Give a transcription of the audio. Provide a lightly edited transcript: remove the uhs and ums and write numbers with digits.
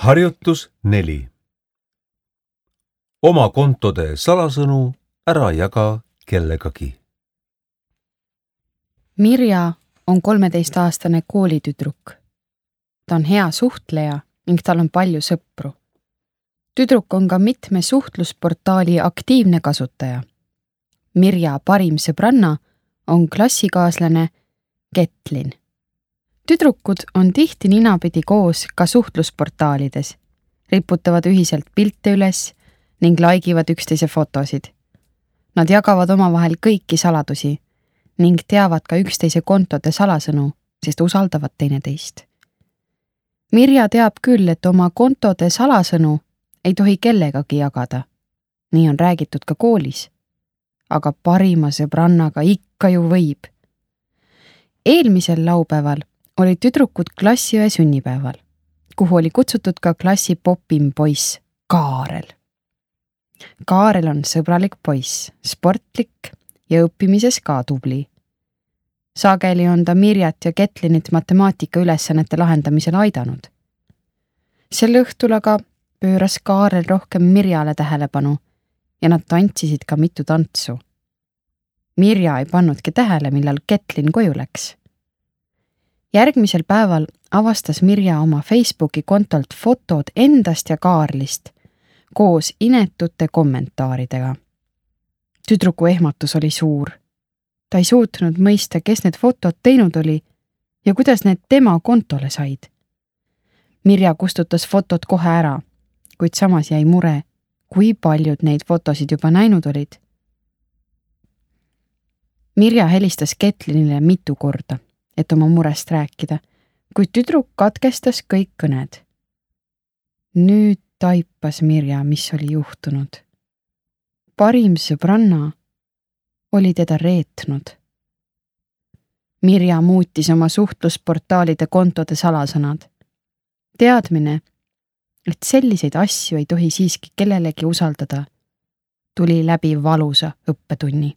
Harjutus 4. Oma kontode salasõnu ära jaga kellegagi. Mirja on 13-aastane koolitüdruk. Ta on hea suhtleja ning tal on palju sõpru. Tüdruk on ka mitme suhtlusportaali aktiivne kasutaja. Mirja parim sõbranna on klassikaaslane Ketlin. Tüdrukud on tihti ninapidi koos ka suhtlusportaalides, riputavad ühiselt pilte üles ning laigivad üksteise fotosid. Nad jagavad omavahel kõiki saladusi ning teavad ka üksteise kontode salasõnu, sest usaldavad teineteist. Mirja teab küll, et oma kontode salasõnu ei tohi kellegagi jagada. Nii on räägitud ka koolis. Aga parima sõbrannaga ikka ju võib. Eelmisel laupäeval olid tüdrukud klassiõe sünnipäeval, kuhu oli kutsutud ka klassi popim poiss Kaarel. Kaarel on sõbralik poiss, sportlik ja õppimises ka tubli. Sageli on ta Mirjat ja Ketlinit matemaatika ülesannete lahendamisel aidanud. Sel õhtul aga pööras Kaarel rohkem Mirjale tähelepanu ja nad tantsisid ka mitu tantsu. Mirja ei pannudki tähele, millal Ketlin koju läks. Järgmisel päeval avastas Mirja oma Facebooki kontolt fotod endast ja Kaarlist koos inetute kommentaaridega. Tüdruku ehmatus oli suur. Ta ei suutnud mõista, kes need fotod teinud oli ja kuidas need tema kontole said. Mirja kustutas fotod kohe ära, kuid samas jäi mure, kui paljud neid fotosid juba näinud olid. Mirja helistas Ketlinile mitu korda, et oma murest rääkida, kuid tüdruk katkestas kõik kõned. Nüüd taipas Mirja, mis oli juhtunud. Parim sõbranna oli teda reetnud. Mirja muutis oma suhtlusportaalide kontode salasõnad. Teadmine, et selliseid asju ei tohi siiski kellelegi usaldada, tuli läbi valusa õppetunni.